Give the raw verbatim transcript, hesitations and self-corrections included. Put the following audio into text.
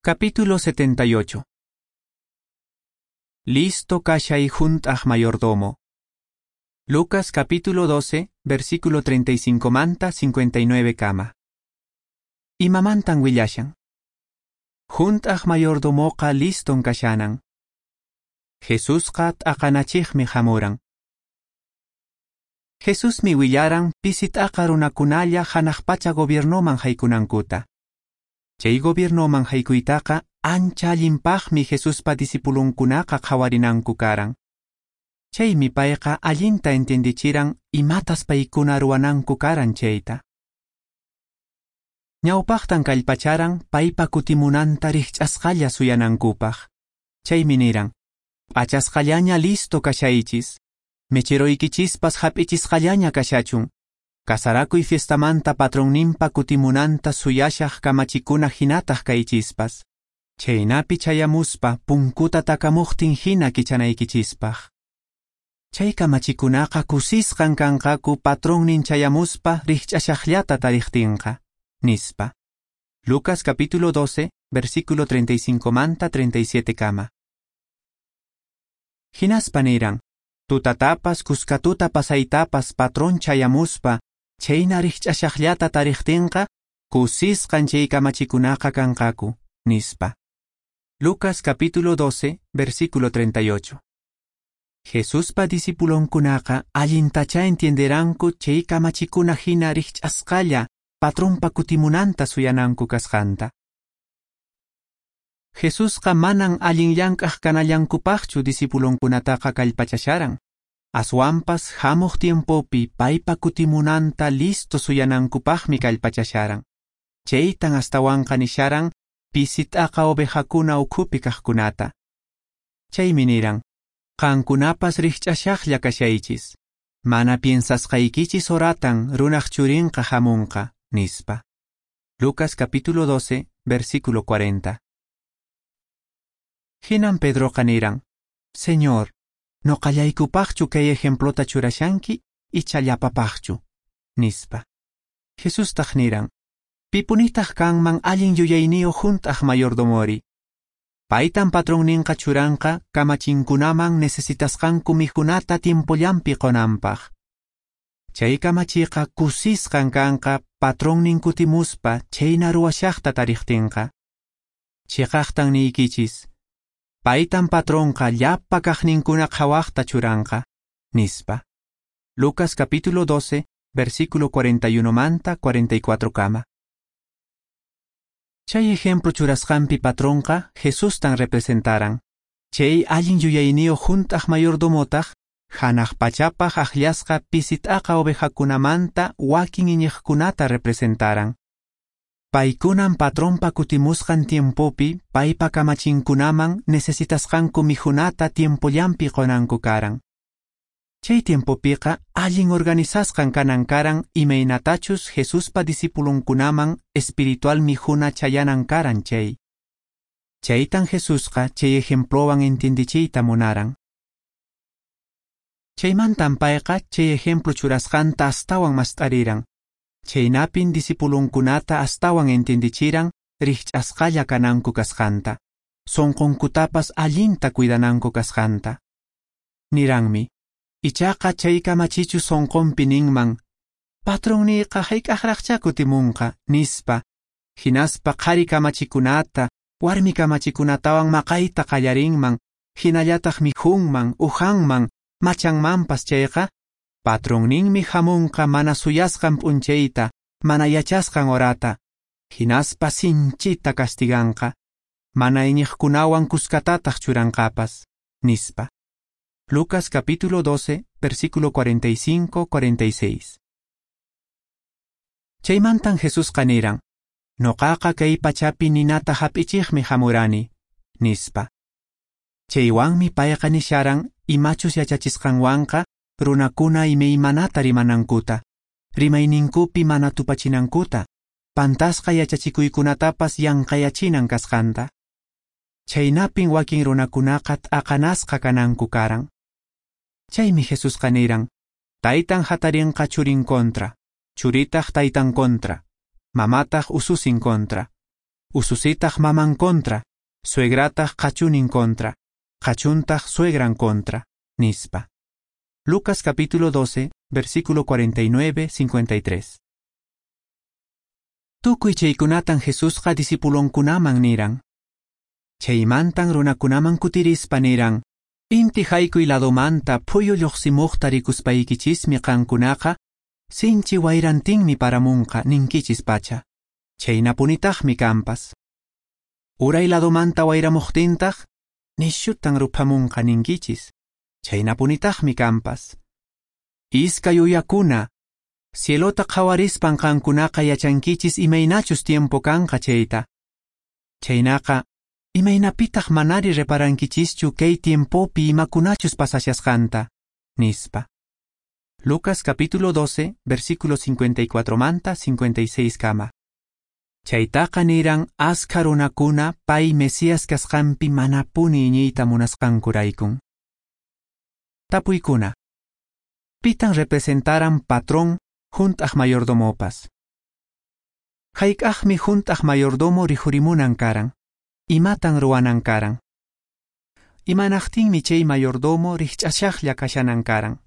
Capítulo setenta y ocho. Listo kashay hunt'aq mayordomo. Lucas capítulo doce, versículo treinta y cinco manta cincuenta y nueve kama. Imamantan willashan. Hunt'aq mayordomoqa liston kashanan. Jesusqa t'aqanachiqmi hamuran. Jesusmi willaran pisi t'aqa runakunalla hanaq pacha gobiernoman haykunankuta. Chay gobiernoman haykuytaqa ancha allinpaqmi Jesuspa discipulunkunaqa qhawarinanku karan. Chaymi payqa allinta entendichiran imatas paykuna ruwananku karan chayta. Ñawpaqtan kallpacharan paypa kutimunanta rikch'asqalla suyanankupaq. Chaymi niran, p'achasqallaña listo kashaychis, mecheroykichispas hap'ichisqallaña kashachun, kasarakuy fiestamanta patronninpa kutimunanta suyashaq kamachikuna hinataq kaychispas, chaynapi chayamuspa punkuta takamuqtin hina kichanaykichispaq. Chay kamachikunaqa kusisqan kanqaku patronnin chayamuspa rikch'ashaqllata tariqtinqa, nispa. Lucas capítulo doce, versículo treinta y cinco manta treinta y siete kama. Hinaspa niran, tutatapas kuskatuta pasaytapas patrón chayamuspa, chayna rikch'ashaqllata tariqtinqa, kusisqan chay kamachikunaqa kanqaku, nispa. Lucas capítulo doce, versículo treinta y ocho. Jesuspa discipulonkunaqa allintacha entienderanku chay kamachikuna hina rikch'asqalla patronpa kutimunanta suyananku kasqanta. Jesusqa manan allin llank'aq kanallankupaqchu discipulonkunataqa kallpachasharan. Aswanpas hamuq tiempopi paypa kutimunanta listo suyanankupaqmi kallpachasharan. Chaytan astawanqa nisharan pisi t'aqa ovejakuna ukhupi kaqkunata. Chaymi niran, qankunapas rikch'ashaqlla kashaychis, mana piensasqaykichis horatan runaq churinqa hamunqa, nispa. Lucas capítulo doce, versículo cuarenta. Hinan Pedroqa niran, Señor, noqallaykupaqchu kay ejemplota churashanki icha llapapaqchu, nispa. Jesustaq niran, pipunitaq kanman allin yuyayniyuq hunt'aq mayordomori. Paytan patronninqa churanqa kamachinkunaman necesitasqanku mikhunata tiempollanpi qonanpaq. Chay kamachiqa kusisqan kanqa patronnin kutimuspa chayna ruwashaqta tariqtinqa. Chiqaqtan niykichis, paytan patronqa llapa kaqninkuna qhawaqta churanqa, nispa. Lucas capítulo doce, versículo cuarenta y uno manta cuarenta y cuatro kama. Chay ejemplo churasqanpi patronqa Jesustan representaran. Chay allin yuyayniyuq hunt'aq mayordomotaq hanaq pachapaq akllasqa pisi t'aqa ovejakunamanta wakin iñiqkunata representaran. Paykunan patronpa kutimusqan tiempopi paypa kamachinkunaman necesitasqanku mikhunata tiempollanpi qonanku karan. Chay tiempopiqa allin organizasqan kanan karan imaynatachus Jesuspa discipulunkunaman espiritual mikhuna chayanan karan chay. Chaytan Jesusqa chay ejemplowan entiendichiyta munaran. Chaymantan payqa chay ejemplo churasqanta astawan mast'ariran. Chaynapin discipulunkunata astawan entiendichiran rikch'asqalla kananku kasqanta, sunqunkutapas allinta cuidananku kasqanta. Niranmi, ichaqa chay kamachichu sunqunpi ninman, patronniyqa hayk'aqraqcha kutimunqa, nispa, hinaspa qhari kamachikunata, warmi kamachikunatawan maqayta qallarinman, hinallataq mikhunman, uhanman, machanmanpas chayqa, patronninmi hamunqa mana suyasqan p'unchayta, mana yachasqan horata, hinaspa sinchita castiganqa, mana iñiqkunawan kuskatataq churanqapas, nispa. Lucas capítulo doce, versículo cuarenta y cinco cuarenta y seis. Chaymantan Jesusqa niran, noqaqa kay pachapi ninata hap'ichiqmi hamurani, nispa. Chaywanmi payqa nisharan imachus yachachisqanwanqa runakuna imaymanata rimanankuta, rimayninkupi mana tupachinankuta, pantasqa yachachikuykunatapas yanqayachinan kasqanta. Chaynapin wakin runakunaqa t'aqanasqa kananku karan. Chaymi Jesusqa niran, taytan hatarinqa churin kontra, churitaq taytan kontra, mamataq ususin kontra. Ususitaq maman contra, suegrataq qachunin contra, qachuntaq suegran contra, nispa. Lucas capítulo doce, versículo cuarenta y nueve, cincuenta y tres. Tukuy chaykunatan Jesusqa discipulonkunaman niran. Chaymantan runakunaman kutirispa niran, inti haykuy ladomanta phuyu lluqsimuqta rikuspaykichismi qankunaqa, sinchi wayrantinmi paramunqa ninkichis pacha. Chaynapunitaqmi kanpas. Uray ladomanta wayramuqtintaq, nishutan ruphamunqa ninkichis. Chaynapunitaqmi kanpas. Iskay uyakuna, cielota qhawarispan qankunaqa yachankichis imaynachus tiempo kanqa chayta. Chaynaqa, imaynapitaq manari reparankichischu kay tiempopi imakunachus pasashasqanta, nispa. Lucas capítulo doce, versículo cincuenta y cuatro manta cincuenta y seis kama. Chaytaqa niran askha runakuna pay Mesías kasqanpi manapuni iñiyta munasqankuraykun. Tapuykuna. Pitan representaran patrón hunt'aq mayordomopas. Hayk'aqmi hunt'aq mayordomo rikhurimunan karan. Imatan ruwanan karan. Imanaqtinmi chay mayordomo rikch'ashaqlla kashanan karan.